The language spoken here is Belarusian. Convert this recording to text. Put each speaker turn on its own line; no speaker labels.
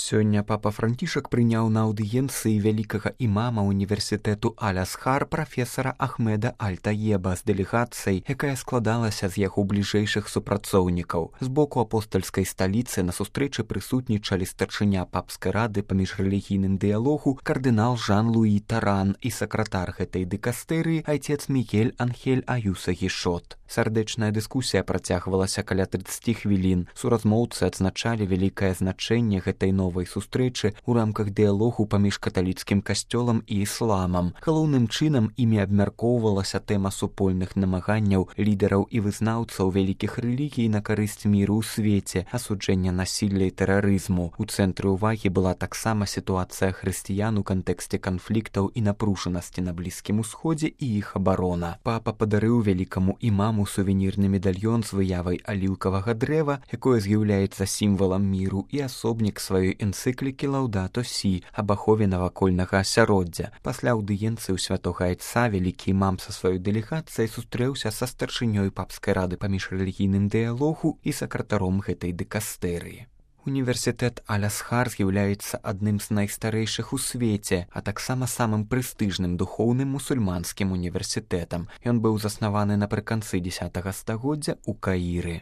Сёння папа Францішак прыняў на аўдыенцыі вялікага імама універсітэту Аль-Азхар прафесара Ахмеда Аль-Таеба з дэлегацыяй, якая складалася з яго бліжэйшых супрацоўнікаў. З боку апостальскай сталіцы на сустрэчы прысутнічалі старшыня папскай рады па міжрэлігійным дыялогу кардынал Жан-Луі Таран і сакратар гэтай дыкастэрыі айцец Мігель Анхель Аюса Гішот. Сардэчная дыскусія працягвалася каля 30 хвілін. Суразмоўцы адзначалі вялікае значэнне гэтай новай сустрэчы ў рамках дыялогу паміж каталіцкім касцёлам і ісламам. Галоўным чынам імі абмяркоўвалася тэма супольных намаганняў лідараў і вызнаўцаў вялікіх рэлігій на карысць міру ў свеце, асуджэння насілля і тэрарызму. У цэнтры ўвагі была таксама сітуацыя хрысціян у кантэксце канфліктаў і напружанасці на Блізкім Усходзе і іх абарона. Папа падарыў вялікаму імаму сувенірны медальён з выявай аліўкавага дрэва, якое з'яўляецца сімвалам міру, і асобнік сваёй энцыклікі «Лаўдато Сі» аб ахове навакольнага асяроддзя. Пасля аўдыенцыі ў святога айца вялікі імам са сваёй дэлегацыяй сустрэўся са старшынёй папскай рады па міжрэлігійным дыялогу і сакратаром гэтай дыкастэрыі. Універсітэт Аль-Азхар з'яўляецца адным з найстарэйшых у свеце, а таксама самым прэстыжным духоўным мусульманскім універсітэтам. Ён быў заснаваны напрыканцы 10 стагоддзя ў Каіры.